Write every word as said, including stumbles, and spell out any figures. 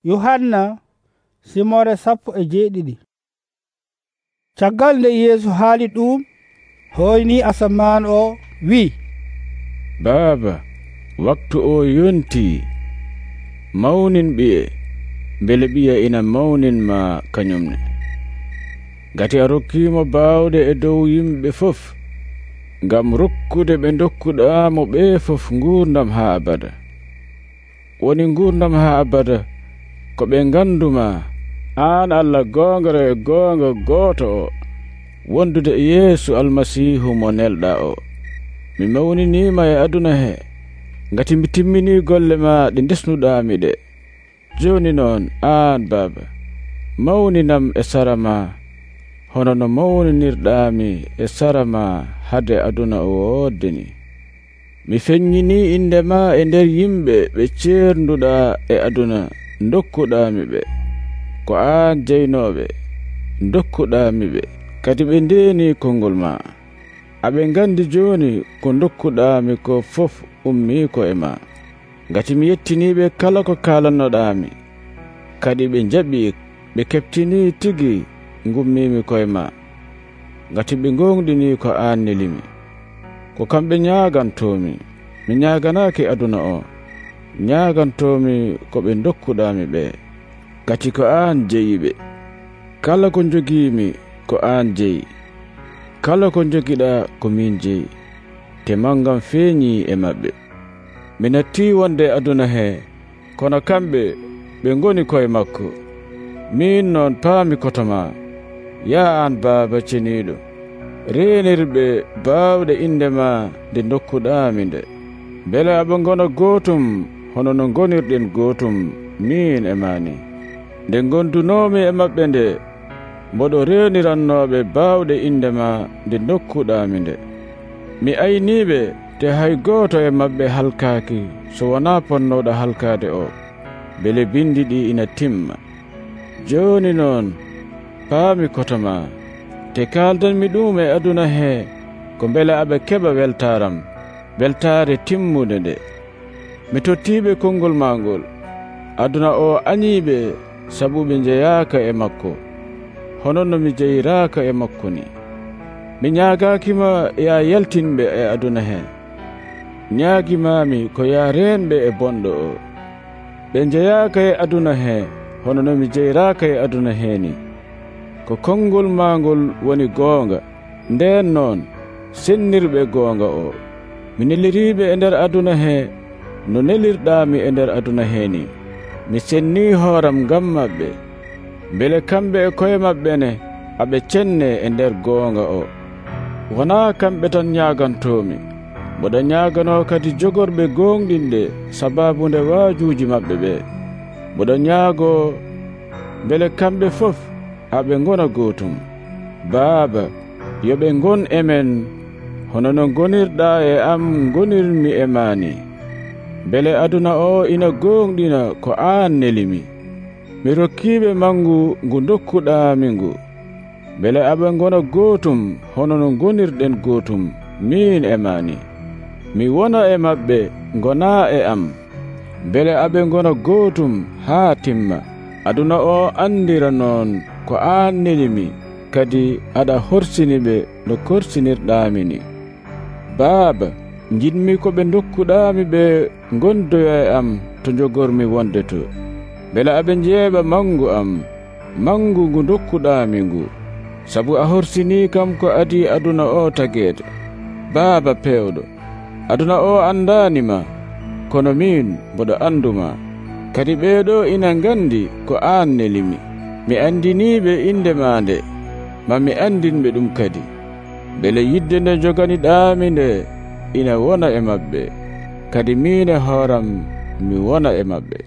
Yohanna simore sappo e jeeɗiɗi. Caggal nde Yeesu haali ɗum, hoyni asaman o wi'i, Baaba, waktu o yontii. Mawnin ɓiye, bele ɓiye ina mawninma kañumne. Gati a rokkiimo baawde e dow yimɓe fof, ngam rokkude ɓe dokkuɗaamo ɓee fof nguurdam haa abada. Woni nguurdam haa abada ko ɓe nganduma, aan Allah goongaro e goonga gooto o, wondude e Yeesu Almasiihu mo nelɗaa o. Mi mawniniima e aduna he, ngati mi timminii golle maa ɗe ndesnuɗaami ɗe. Jooni noon, aan Baaba, mawninam e sara maa, hono no mawninirɗaami e sara maa hade aduna o woodde ni. Mi feññinii inde maa e nder yimɓe ɓe ceernduɗaa e aduna dokkuɗaami ɓe. Ko aan jeynooɓe, dokkuɗaami ɓe, kadi ɓe ndeenii konngol maa. Aɓe ngandi jooni ko dokkuɗaami ko fof ummii ko e maa. Ngati mi yettiniiɓe kala ko kaalannoɗaami, kadi ɓe njaɓii, ɓe keɓtinii tigi ngummiimi koye maa. Ngati ɓe ngoongɗinii ko aan nelimi. Ko kamɓe ñaagantoomi, mi ñaaganaaki aduna o, ñaagantoomi ko ɓe dokkuɗaami ɓee. Gati ko aan jeyiɓe. Kala ko njogiimi ko aan jeyi. Kala ko njogiɗaa ko min jeyi. Te mangam feeñii e maɓɓe. Mi nattii wonde aduna hee, kono kamɓe ɓe ngoni koye makko. Min noon paami koto maa. Yaa aan Baaba ceniiɗo, reenirɓe baawɗe inde maa nde dokkuɗaami nde, mbele aɓe ngona gootum hono no ngonirɗen gootum min e maa ni. Nde ngondunoomi e maɓɓe nde, mboɗo reenirannooɓe baawɗe inde maa nde dokkuɗaami nde. Mi ayniiɓe te hay gooto e maɓɓe halkaaki so wonaa ponnooɗo halkaade o, bele bindi ɗi ina timma. Jooni noon paami koto maa, te kaaldanmi ɗum e aduna hee ko mbele aɓe keɓa weltaaram, weltaare timmude nde. Mi tottiiɓe konngol maa ngol. Aduna o añiiɓe sabu ɓe njeyaaka e makko, hono no mi jeyiraaka e makko ni. Mi ñaagaakima ya yaltinɓe e aduna hee. Ñaagimaami ko ya reenɓe e bonɗo o. Ɓe njeyaaka e aduna hee hono no mi jeyiraaka e aduna hee ni. Ko konngol maa ngol woni goonga, ndeen noon sennirɓe goonga o. Mi neliriiɓe e nder aduna hee no nelirɗaami e nder aduna hee ni. Mi sennii hooram ngam maɓɓe, mbele kamɓe e koye maɓɓe ne aɓe cenne e nder goonga o. Wonaa kamɓe tan ñaagantoomi, mboɗo ñaaganoo kadi jogorɓe goongɗinɗe sabaabunde waajuuji maɓɓe ɓee. Mboɗo ñaagoo mbele kamɓe fof aɓe ngona gootum. Baaba, yo ɓe ngon e men hono no ngonirɗaa e am ngonirmi e maa ni. Mbele aduna o ina goongɗina ko aan nelimi. Mi rokkiiɓe mangu ngu dokkuɗaami ngu, mbele aɓe ngona gootum hono no ngonirɗen gootum min e maa ni. Mi wona e maɓɓe, ngonaa e am, mbele aɓe ngona gootum haa timma. Aduna o andira noon ko aan nelimi, kadi aɗa horsini ɓe no korsinirɗaami ni. Baaba, njiɗmi ko ɓe dokkuɗaami ɓe ngondoya e am to njogormi wonde to, mbele aɓe njeeɓa mangu am, mangu ngu dokkuɗaami ngu, sabu a horsinii kam ko adi aduna o tageede. Baaba peewɗo, aduna o andaanima, kono min mboɗo anduma, kadi ɓeeɗo ina ngandi ko aan nelimi. Mi andiniiɓe inde maa nde, maa mi andinɓe ɗum kadi, mbele yidde nde joganiɗaami nde ina wona e maɓɓe, kadi min e hooram mi wona e maɓɓe.